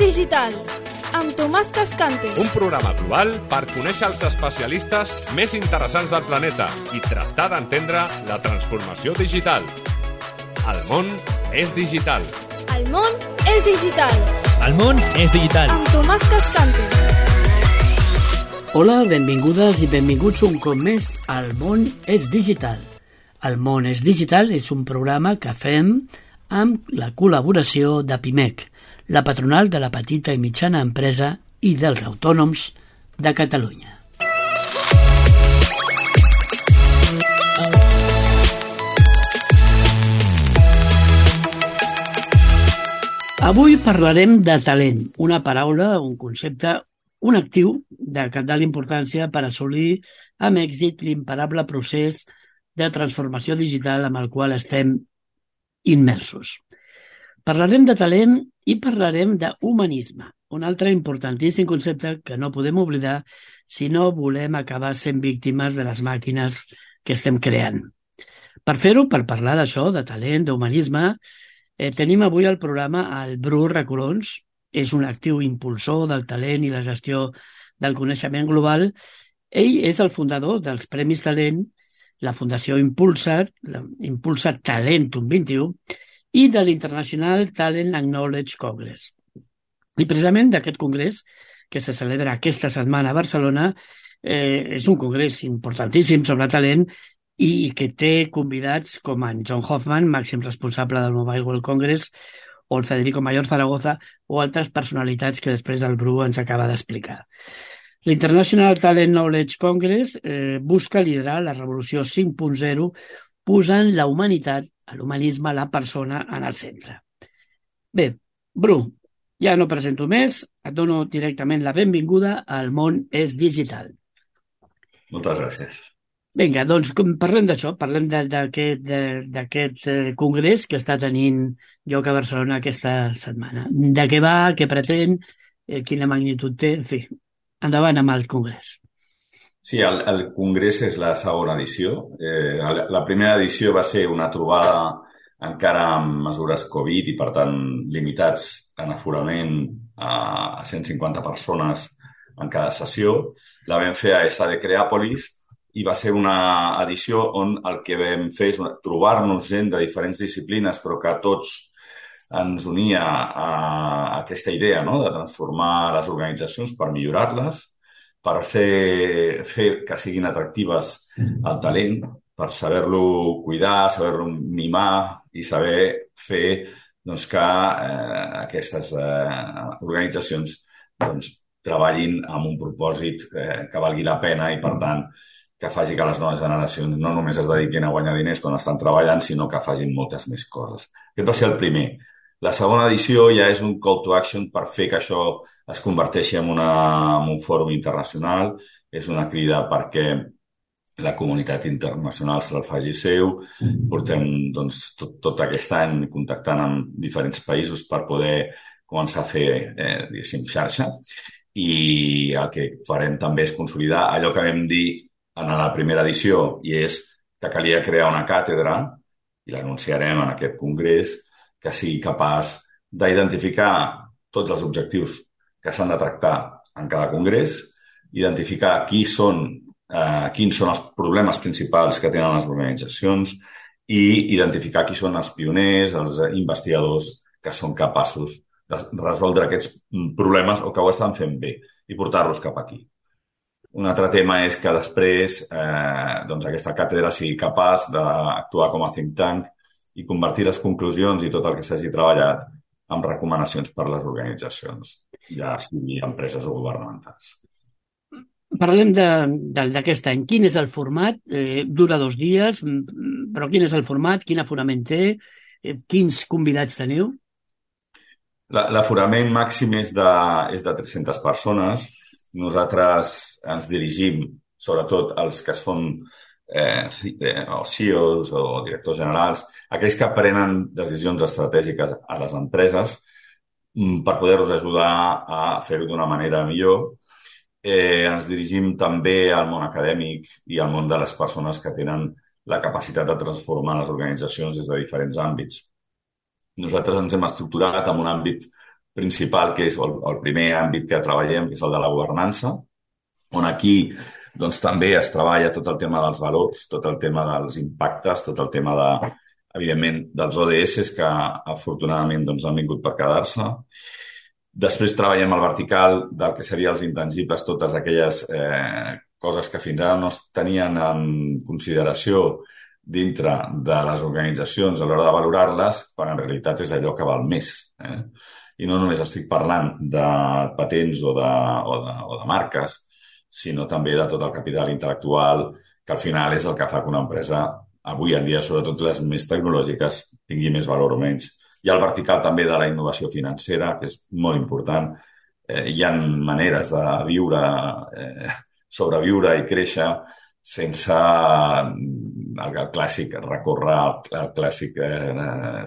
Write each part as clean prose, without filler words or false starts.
digital, amb Tomàs Cascante. Un programa global per conèixer els especialistes més interessants del planeta i tractar d'entendre la transformació digital. El món és digital. El món és digital. El món és digital. Amb Tomàs Cascante. Hola, benvingudes i benvinguts un cop més al món és digital. El món és digital és un programa que fem amb la col·laboració de PIMEC, la patronal de la petita i mitjana empresa i dels autònoms de Catalunya. Avui parlarem de talent, una paraula, un concepte, un actiu de cabdal importància per assolir amb èxit l'imparable procés de transformació digital amb el qual estem immersos. Parlarem de talent i parlarem d'humanisme, un altre importantíssim concepte que no podem oblidar si no volem acabar sent víctimes de les màquines que estem creant. Per fer-ho, per parlar d'això, de talent, d'humanisme, tenim avui al programa el Bru Recolons. És un actiu impulsor del talent i la gestió del coneixement global. Ell és el fundador dels Premis Talent, la Fundació Impulsar Talentum 21 i de l'International Talent and Knowledge Congress. I precisament d'aquest congrés, que se celebra aquesta setmana a Barcelona, és un congrés importantíssim sobre talent i que té convidats com en John Hoffman, màxim responsable del Mobile World Congress, o el Federico Mayor Zaragoza, o altres personalitats que després el Bru ens acaba d'explicar. L'International Talent Knowledge Congress busca liderar la revolució 5.0 posant la humanitat, l'humanisme, la persona en el centre. Bé, Bru, ja no presento més, et dono directament la benvinguda al món és digital. Moltes gràcies. Vinga, doncs parlem d'això, parlem d'aquest congrés que està tenint lloc a Barcelona aquesta setmana. De què va, què pretén, quina magnitud té, en fi, endavant amb el congrés. Sí, el congrés és la segona edició. La primera edició va ser una trobada encara amb mesures Covid i, per tant, limitats en aforament a 150 persones en cada sessió. La vam fer a ESA de Creàpolis i va ser una edició on el que vam fer és trobar-nos gent de diferents disciplines, però que tots ens unia a aquesta idea, no?, de transformar les organitzacions per millorar-les, per fer que siguin atractives al talent, per saber-lo cuidar, saber-lo mimar i saber fer que aquestes organitzacions treballin amb un propòsit que valgui la pena i, per tant, que faci que les noves generacions no només es dediquin a guanyar diners quan estan treballant, sinó que facin moltes més coses. Aquest va ser el primer. La segona edició ja és un call to action per fer que això es converteixi en un fòrum internacional. És una crida perquè la comunitat internacional se la faci seu. Portem tot aquest any contactant amb diferents països per poder començar a fer, diguéssim, xarxa. I el que farem també és consolidar allò que vam dir en la primera edició, i és que calia crear una càtedra, i l'anunciarem en aquest congrés, que sigui capaç d'identificar tots els objectius que s'han de tractar en cada congrés, identificar quins són els problemes principals que tenen les organitzacions i identificar qui són els pioners, els investigadors que són capaços de resoldre aquests problemes o que ho estan fent bé i portar-los cap aquí. Un altre tema és que després aquesta càtedra sigui capaç d'actuar com a think tank i convertir les conclusions i tot el que s'hagi treballat en recomanacions per a les organitzacions, ja sigui empreses o governamentals. Parlem d'aquest any. Quin és el format? Dura 2 dies, però quin és el format? Quin aforament té? Quins convidats teniu? L'aforament màxim és de 300 persones. Nosaltres ens dirigim, sobretot els que són CEOs o directors generals, aquells que prenen decisions estratègiques a les empreses per poder-los ajudar a fer-ho d'una manera millor. Ens dirigim també al món acadèmic i al món de les persones que tenen la capacitat de transformar les organitzacions des de diferents àmbits. Nosaltres ens hem estructurat en un àmbit principal, que és el primer àmbit que treballem, que és el de la governança, on aquí doncs, també es treballa tot el tema dels valors, tot el tema dels impactes, tot el tema, evidentment, dels ODS, que afortunadament doncs, han vingut per quedar-se. Després treballem el vertical del que serien els intangibles, totes aquelles coses que fins ara no es tenien en consideració dintre de les organitzacions a l'hora de valorar-les, quan en realitat és allò que val més. I no només estic parlant de patents o de marques, sinó també de tot el capital intel·lectual, que al final és el que fa que una empresa, avui en dia, sobretot les més tecnològiques, tingui més valor o menys. Hi ha el vertical també de la innovació financera, que és molt important. Hi ha maneres de viure, sobreviure i créixer sense el clàssic recórrer al clàssic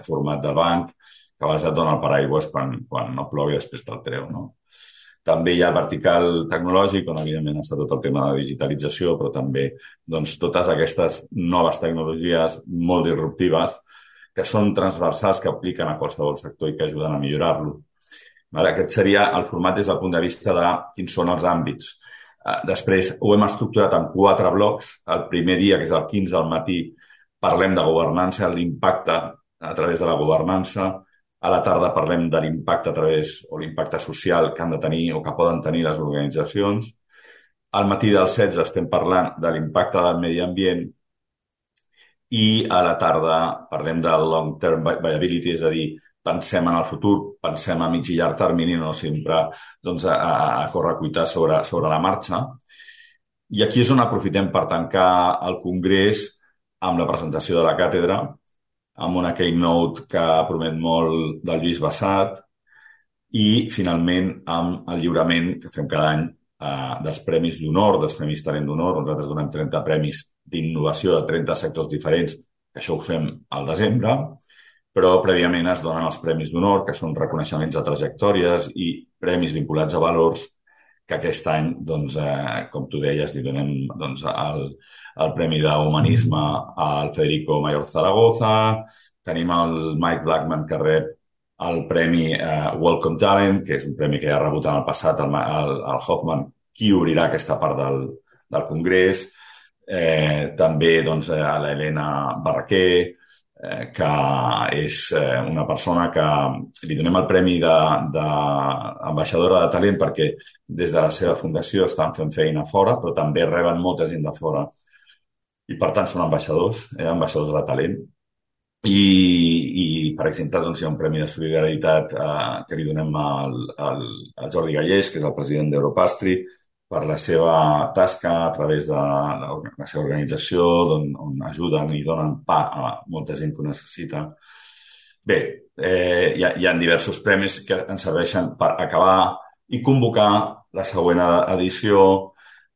format de banc, que a vegades et dona el paraigües quan no plou i després te'l treu, no? També hi ha el vertical tecnològic, on evidentment està tot el tema de digitalització, però també doncs, totes aquestes noves tecnologies molt disruptives que són transversals, que apliquen a qualsevol sector i que ajuden a millorar-lo. Aquest seria el format des del punt de vista de quins són els àmbits. Després ho hem estructurat en 4 blocs. El primer dia, que és el 15 al matí, parlem de governança, l'impacte a través de la governança. A la tarda parlem de l'impacte a través, o l'impacte social que han de tenir o que poden tenir les organitzacions. Al matí del 16 estem parlant de l'impacte del medi ambient i a la tarda parlem del long-term viability, és a dir, pensem en el futur, pensem a mig i llarg termini, no sempre doncs, a correcuitar sobre la marxa. I aquí és on aprofitem per tancar el congrés amb la presentació de la càtedra, amb una keynote que promet molt del Lluís Bassat i, finalment, amb el lliurament que fem cada any dels Premis d'Honor, dels Premis Talent d'Honor. Nosaltres donem 30 premis d'innovació de 30 sectors diferents, que això ho fem al desembre, però prèviament es donen els Premis d'Honor, que són reconeixements de trajectòries i premis vinculats a valors, que aquest any, doncs, com tu deies, li donem doncs, el Premi d'Humanisme al Federico Mayor Zaragoza, tenim el Mike Blackman que rep el Premi Welcome Talent, que és un premi que ja ha rebut en el passat el Hoffman, qui obrirà aquesta part del Congrés. També doncs, a l'Helena Barraquer, que és una persona que li donem el premi d'ambaixadora de talent perquè des de la seva fundació estan fent feina fora, però també reben molta gent de fora i per tant són ambaixadors de talent. I per exemple, doncs, hi ha un premi de solidaritat que li donem al Jordi Gallés, que és el president d'Europastri, per la seva tasca a través de la seva organització, on ajuden i donen pa a molta gent que ho necessita. Bé, hi ha diversos premis que ens serveixen per acabar i convocar la següent edició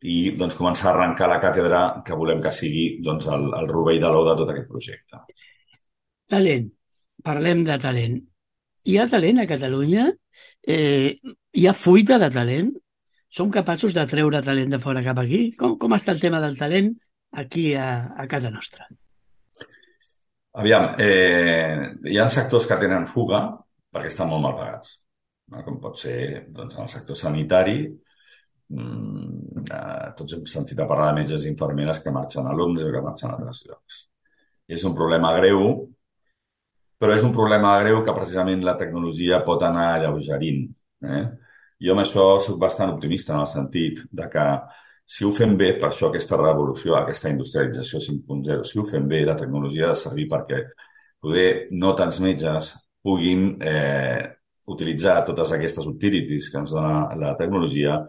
i doncs, començar a arrencar la càtedra que volem que sigui doncs, el rovell de l'ou de tot aquest projecte. Talent. Parlem de talent. Hi ha talent a Catalunya? Hi ha fuita de talent? Som capaços de treure talent de fora cap aquí? Com està el tema del talent aquí a casa nostra? Aviam, hi ha sectors que tenen fuga perquè estan molt mal pagats, no? Com pot ser doncs, en el sector sanitari. Tots hem sentit a parlar de metges i infermeres que marxen a Londres o que marxen a altres llocs. És un problema greu, però és un problema greu que precisament la tecnologia pot anar alleugerint. Jo amb això soc bastant optimista en el sentit de que si ho fem bé, per això aquesta revolució, aquesta industrialització 5.0, si ho fem bé, la tecnologia ha de servir perquè poder no tants metges puguin utilitzar totes aquestes utilities que ens dona la tecnologia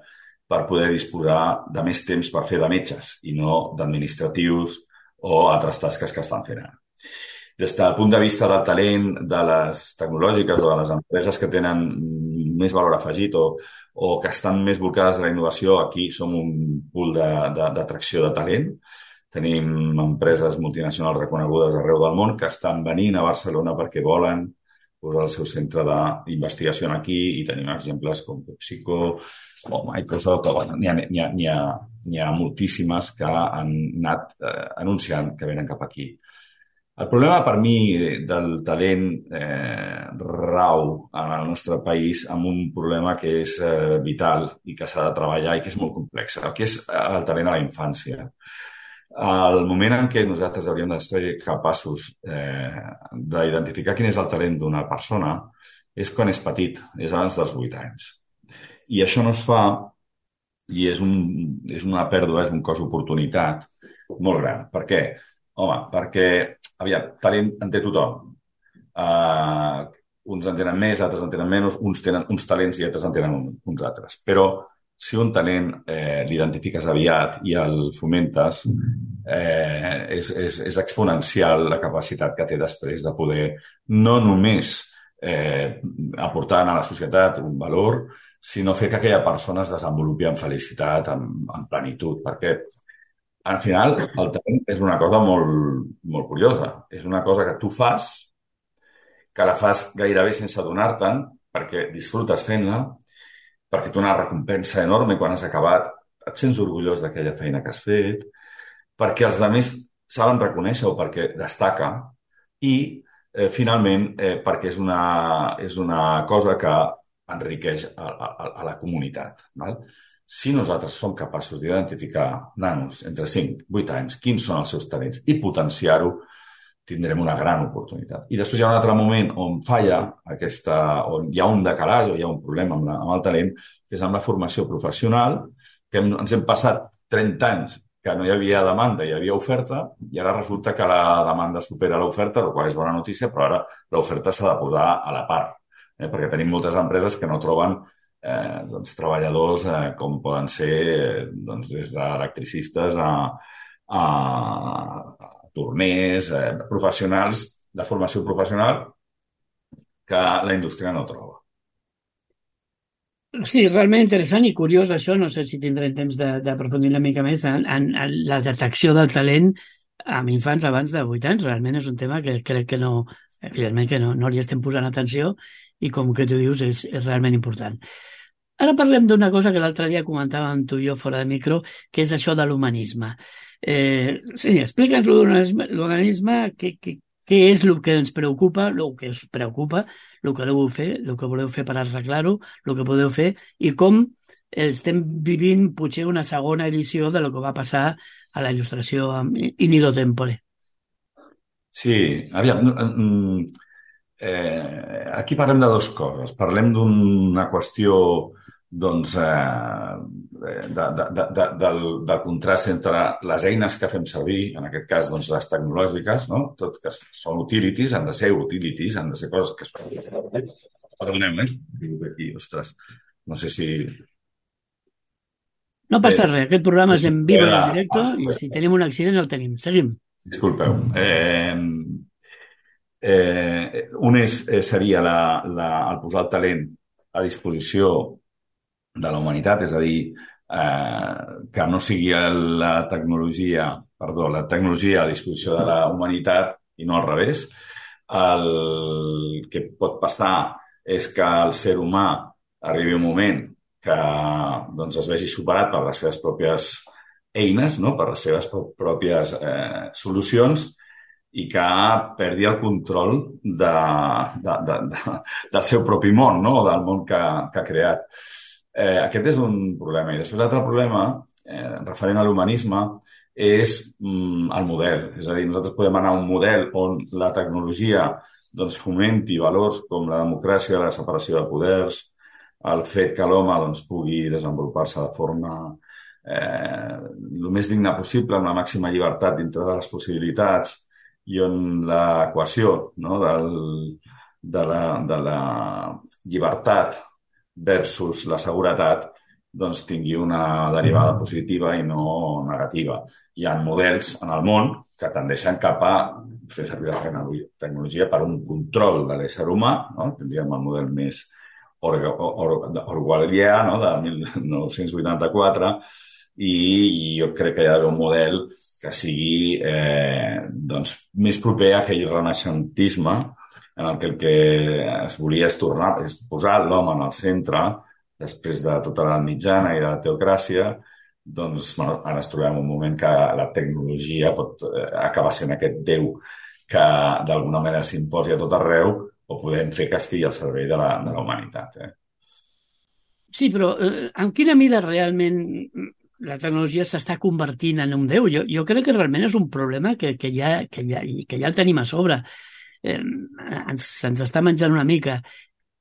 per poder disposar de més temps per fer de metges i no d'administratius o altres tasques que estan fent ara. Des del punt de vista del talent, de les tecnològiques o de les empreses que tenen més valor afegit o que estan més volcades a la innovació, aquí som un pool d'atracció de talent. Tenim empreses multinacionals reconegudes arreu del món que estan venint a Barcelona perquè volen posar el seu centre d'investigació aquí i tenim exemples com PepsiCo o Microsoft. N'hi ha moltíssimes que han anat anunciant que venen cap aquí. El problema per mi del talent rau en el nostre país amb un problema que és vital i que s'ha de treballar i que és molt complex, que és el talent a la infància. El moment en què nosaltres hauríem de ser capaços d'identificar quin és el talent d'una persona és quan és petit, és abans dels 8 anys. I això no es fa i és una pèrdua, és un cost d'oportunitat molt gran. Per què? Home, perquè, aviam, talent en té tothom. Uns en tenen més, altres en tenen menys, uns tenen uns talents i altres en tenen uns altres. Però si un talent l'identifiques aviat i el fomentes, és exponencial la capacitat que té després de poder no només aportar a la societat un valor, sinó fer que aquella persona es desenvolupi amb felicitat, amb plenitud, perquè al final el talent és una cosa molt, molt curiosa. És una cosa que tu fas, que la fas gairebé sense adonar-te'n, perquè disfrutes fent-la, perquè té una recompensa enorme quan has acabat, et sents orgullós d'aquella feina que has fet, perquè els altres saben reconèixer-ho perquè destaca i, finalment, perquè és una cosa que enriqueix a la comunitat. Val? Si nosaltres som capaços d'identificar nanos entre 5 i 8 anys, quins són els seus talents i potenciar-ho, tindrem una gran oportunitat. I després hi ha un altre moment on falla on hi ha un decalatge o hi ha un problema amb el talent, que és amb la formació professional, que ens hem passat 30 anys que no hi havia demanda, hi havia oferta, i ara resulta que la demanda supera l'oferta, el qual és bona notícia, però ara l'oferta s'ha de posar a la part, perquè tenim moltes empreses que no troben treballadors com poden ser des d'electricistes a torners, professionals de formació professional que la indústria no troba. Sí, realment interessant i curiós això, no sé si tindrem temps d'aprofundir una mica més en la detecció del talent amb infants abans de 8 anys. Realment és un tema que crec que no li estem posant atenció i com que tu dius és realment important. Ara parlem d'una cosa que l'altre dia comentàvem tu i jo fora de micro, que és això de l'humanisme. Sí, explica'ns l'humanisme, què és el que ens preocupa, el que us preocupa, el que voleu fer per arreglar-ho, el que podeu fer i com estem vivint potser una segona edició de lo que va passar a la il·lustració amb Inigo Tempore. Sí, aviam, aquí parlem de dues coses. Parlem d'una qüestió del contrast entre les eines que fem servir, en aquest cas les tecnològiques, no? Tot que són utilities, han de ser coses que són... Perdoneu, aquí, ostres, no sé si... No passa res, aquest programa és en vivo i en directe i si tenim un accident el tenim. Seguim. Disculpeu. Un seria el posar el talent a disposició de la humanitat, és a dir, que no sigui la tecnologia a disposició de la humanitat i no al revés. El que pot passar és que el ser humà arribi un moment que es vegi superat per les seves pròpies eines, no? Per les seves pròpies solucions i que perdi el control del seu propi món, no? O del món que ha creat. Aquest és un problema. I després l'altre problema, referent a l'humanisme, és el model. És a dir, nosaltres podem anar a un model on la tecnologia fomenti valors com la democràcia, la separació de poders, el fet que l'home pugui desenvolupar-se de forma el més digna possible, amb la màxima llibertat dintre de les possibilitats i on l'equació de la llibertat versus la seguretat tingui una derivada positiva i no negativa. Hi ha models en el món que tendeixen cap a fer servir la tecnologia per un control de l'ésser humà, no? Tindríem el model més orwellià, no? De 1984, i jo crec que hi ha d'haver un model que sigui més proper a aquell renaixentisme en el que es volia és posar l'home en el centre després de tota l'edat mitjana i de la teocràcia. Ara ens trobem un moment que la tecnologia pot acabar sent aquest déu que d'alguna manera s'imposi a tot arreu, o podem fer que estigui al servei de la humanitat. Sí, però en quina mida realment la tecnologia s'està convertint en un déu? Jo crec que realment és un problema que ja el tenim a sobre. Se'ns està menjant una mica.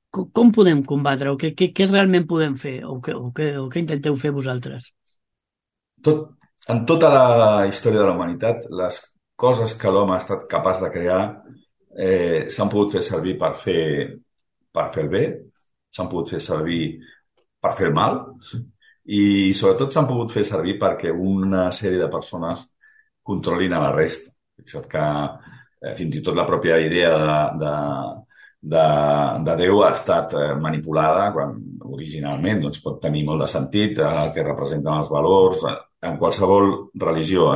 Com podem combatre-ho? Què realment podem fer? O què intenteu fer vosaltres? En tota la història de la humanitat, les coses que l'home ha estat capaç de crear s'han pogut fer servir per fer el bé, s'han pogut fer servir per fer el mal i sobretot s'han pogut fer servir perquè una sèrie de persones controlin a la resta. Fixa't que fins i tot la pròpia idea de Déu ha estat manipulada quan originalment doncs, pot tenir molt de sentit el que representen els valors en qualsevol religió.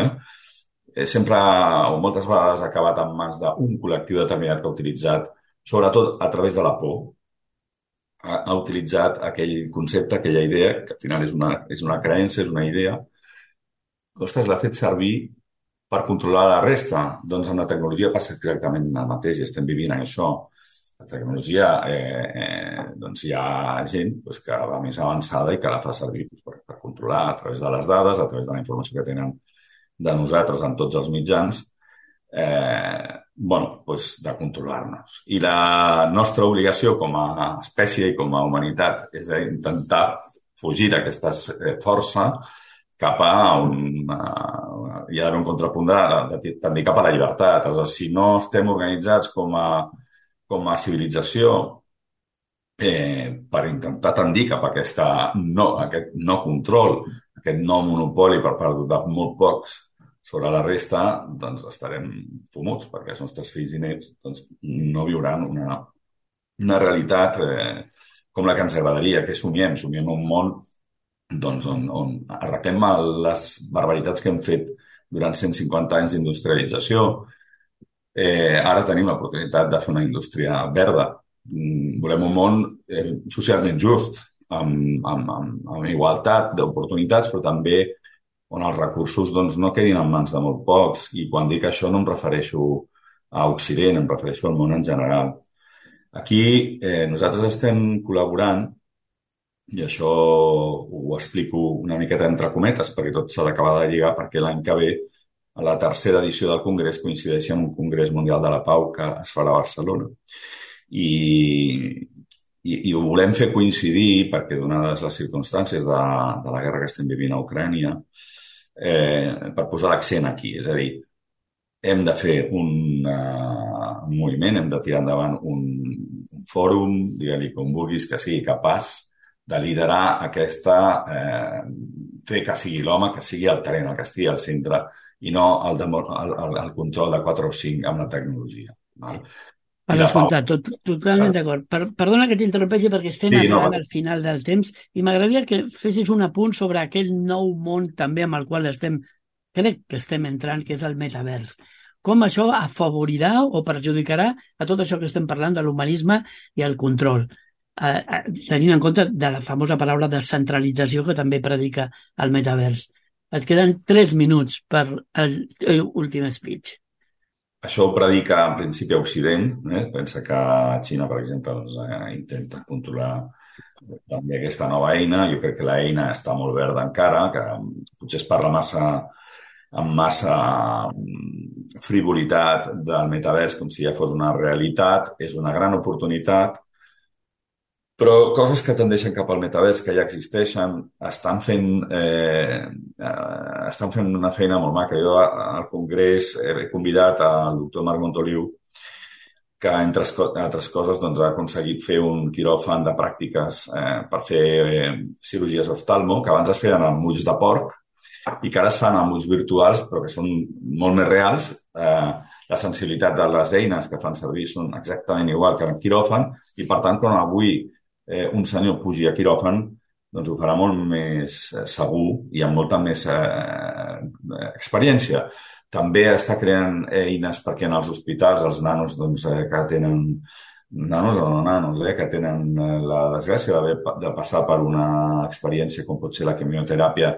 Sempre o moltes vegades ha acabat en mans d'un col·lectiu determinat que ha utilitzat, sobretot a través de la por, ha utilitzat aquell concepte, aquella idea, que al final és una creença, és una idea, ostres, l'ha fet servir per controlar la resta. Doncs amb la tecnologia passa exactament el mateix i estem vivint en això. La tecnologia, doncs hi ha gent que va més avançada i que la fa servir per controlar a través de les dades, a través de la informació que tenen de nosaltres en tots els mitjans, de controlar-nos. I la nostra obligació com a espècie i com a humanitat és intentar fugir d'aquesta força cap a hi ha d'haver un contrapunt també cap a la llibertat. Si no estem organitzats com a civilització per intentar tendir cap a aquest no control, aquest no monopoli per part de molt pocs sobre la resta, doncs estarem fumuts, perquè els nostres fills i nets no viuran una realitat com la que ens agradaria, que somiem un món on arreglem les barbaritats que hem fet durant 150 anys d'industrialització. Ara tenim l'oportunitat de fer una indústria verda. Volem un món socialment just, amb igualtat d'oportunitats, però també on els recursos no quedin en mans de molt pocs. I quan dic això no em refereixo a Occident, em refereixo al món en general. Aquí nosaltres estem col·laborant, i això ho explico una miqueta entre cometes, perquè tot s'ha d'acabar de lligar, perquè l'any que ve, a la tercera edició del Congrés, coincideix amb un Congrés Mundial de la Pau que es farà a Barcelona. I ho volem fer coincidir perquè, donades les circumstàncies de la guerra que estem vivint a Ucrània, per posar l'accent aquí. És a dir, hem de fer un moviment, hem de tirar endavant un fòrum, digue-li com vulguis, que sigui capaç de liderar fer que sigui l'home, que sigui el talent, el que estigui al centre, i no el control de 4 o 5 amb la tecnologia. Has escoltat, totalment d'acord. Perdona que t'interrompeixi perquè estem arribant al final del temps i m'agradaria que fessis un apunt sobre aquell nou món també amb el qual crec que estem entrant, que és el metavers. Com això afavorirà o perjudicarà a tot això que estem parlant de l'humanisme i el control, tenint en compte de la famosa paraula descentralització que també predica el metavers. Et queden 3 minuts per l'últim speech. Això ho predica en principi a Occident. Pensa que Xina, per exemple, intenta controlar també aquesta nova eina. Jo crec que l'eina està molt verda encara, que potser es parla amb massa frivolitat del metavers com si ja fos una realitat. És una gran oportunitat, però coses que tendeixen cap al metavers, que ja existeixen, estan fent una feina molt maca. Jo al Congrés he convidat el doctor Marc Montoliu, que, entre altres coses, ha aconseguit fer un quiròfan de pràctiques per fer cirurgies oftalmo, que abans es feien amb ulls de porc i que ara es fan amb ulls virtuals, però que són molt més reals. La sensibilitat de les eines que fan servir són exactament igual que en quiròfan i, per tant, quan avui un senyor pugi a quiròfan, doncs ho farà molt més segur i amb molta més experiència. També està creant eines perquè en els hospitals els nanos que tenen nanos o no nanos, que tenen la desgràcia de passar per una experiència com pot ser la quimioteràpia,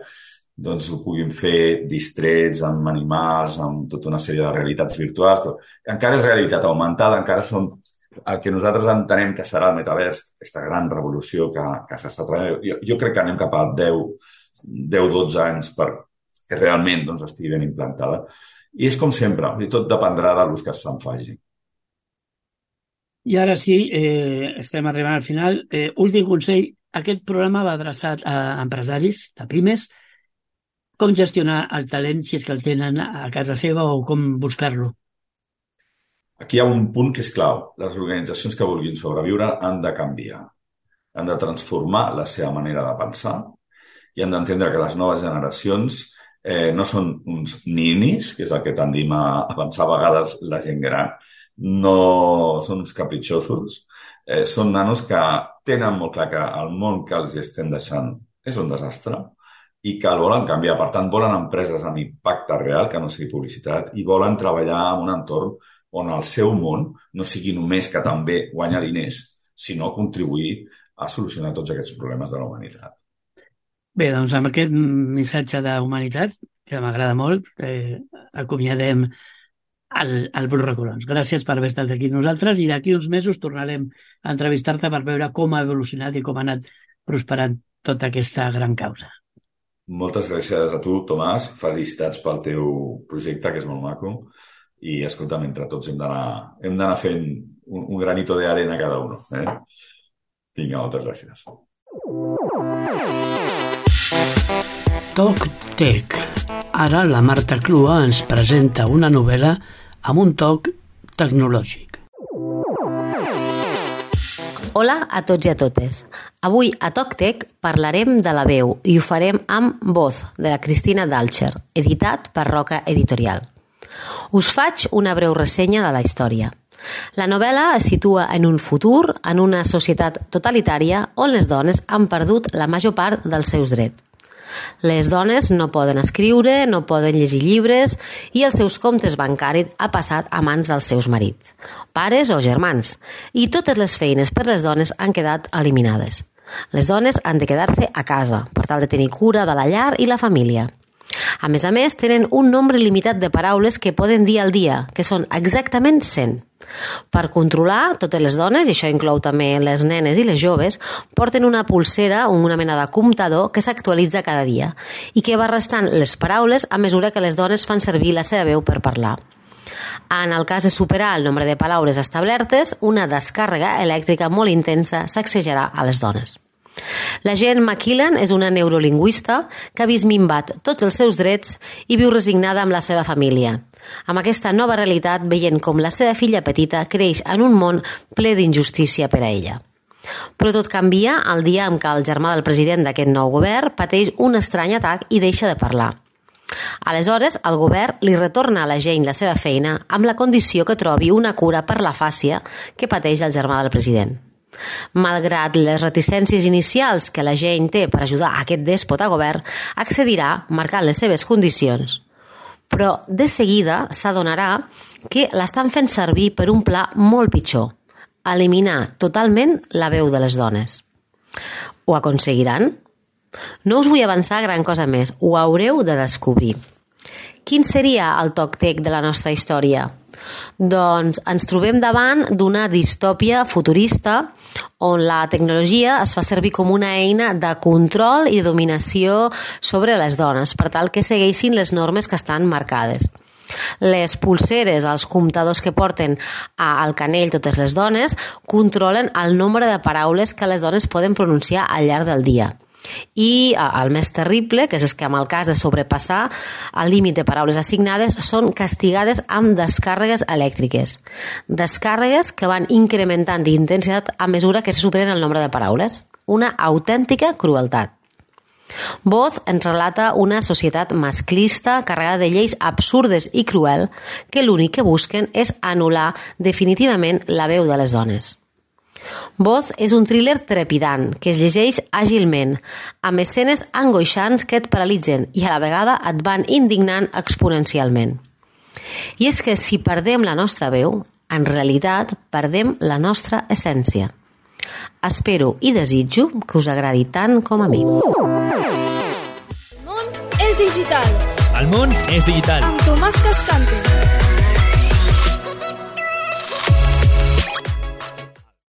doncs ho puguin fer distrets amb animals, amb tota una sèrie de realitats virtuals. Però encara és realitat augmentada, encara són el que nosaltres entenem que serà el metavers, aquesta gran revolució que s'està traient. Jo crec que anem cap a 10-12 anys perquè realment doncs, estigui ben implantada. I és com sempre, i tot dependrà de l'ús que se'n faci. I ara sí, estem arribant al final. Últim consell, aquest programa va adreçat a empresaris, a pimes. Com gestionar el talent si és que el tenen a casa seva o com buscar-lo? Aquí hi ha un punt que és clau. Les organitzacions que vulguin sobreviure han de canviar. Han de transformar la seva manera de pensar i han d'entendre que les noves generacions no són uns ninis, que és el que tendim a pensar a vegades la gent gran, no són uns capritxosos, són nanos que tenen molt clar que el món que els estem deixant és un desastre i que el volen canviar. Per tant, volen empreses amb impacte real, que no sigui publicitat, i volen treballar en un entorn on el seu món no sigui només que també guanyar diners, sinó contribuir a solucionar tots aquests problemes de la humanitat. Bé, doncs amb aquest missatge d'humanitat, que m'agrada molt, acomiadem el Bru Recolons. Gràcies per haver estat aquí amb nosaltres i d'aquí uns mesos tornarem a entrevistar-te per veure com ha evolucionat i com ha anat prosperant tota aquesta gran causa. Moltes gràcies a tu, Tomàs. Felicitats pel teu projecte, que és molt maco. I, escolta'm, entre tots hem d'anar fent un granito de arena cada un. Vinga, moltes gràcies. Toc Tec. Ara la Marta Clua ens presenta una novel·la amb un toc tecnològic. Hola a tots i a totes. Avui a TocTec parlarem de la veu i ho farem amb Voz, de la Cristina Dalcher, editat per Roca Editorial. Us faig una breu ressenya de la història. La novel·la es situa en un futur, en una societat totalitària on les dones han perdut la major part dels seus drets. Les dones no poden escriure, no poden llegir llibres i els seus comptes bancaris ha passat a mans dels seus marits, pares o germans, i totes les feines per les dones han quedat eliminades. Les dones han de quedar-se a casa per tal de tenir cura de la llar i la família. A més, tenen un nombre limitat de paraules que poden dir al dia, que són exactament 100. Per controlar totes les dones, i això inclou també les nenes i les joves, porten una pulsera o una mena de comptador que s'actualitza cada dia i que va restant les paraules a mesura que les dones fan servir la seva veu per parlar. En el cas de superar el nombre de paraules establertes, una descàrrega elèctrica molt intensa sacsejarà a les dones. La Jen McKillen és una neurolingüista que ha vist minvat tots els seus drets i viu resignada amb la seva família. Amb aquesta nova realitat, veient com la seva filla petita creix en un món ple d'injustícia per a ella. Però tot canvia el dia en què el germà del president d'aquest nou govern pateix un estrany atac i deixa de parlar. Aleshores, el govern li retorna a la Jane la seva feina amb la condició que trobi una cura per l'afàsia que pateix el germà del president. Malgrat les reticències inicials que la Jane té per ajudar aquest dèspota govern, accedirà marcant les seves condicions. Però de seguida s'adonarà que l'estan fent servir per un pla molt pitjor, eliminar totalment la veu de les dones. Ho aconseguiran? No us vull avançar gran cosa més, ho haureu de descobrir. Quin seria el TocTec de la nostra història? Doncs ens trobem davant d'una distòpia futurista on la tecnologia es fa servir com una eina de control i dominació sobre les dones per tal que segueixin les normes que estan marcades. Les pulseres, els comptadors que porten al canell totes les dones, controlen el nombre de paraules que les dones poden pronunciar al llarg del dia. I el més terrible, que és que en el cas de sobrepassar el límit de paraules assignades, són castigades amb descàrregues elèctriques. Descàrregues que van incrementant d'intensitat a mesura que se superen el nombre de paraules. Una autèntica crueltat. Voz ens relata una societat masclista carregada de lleis absurdes i cruel que l'únic que busquen és anul·lar definitivament la veu de les dones. Voz és un thriller trepidant que es llegeix àgilment, amb escenes angoixants que et paralitzen i a la vegada et van indignant exponencialment. I és que si perdem la nostra veu, en realitat perdem la nostra essència. Espero i desitjo que us agradi tant com a mi. El món és digital. El món és digital. Amb Tomàs Cascante.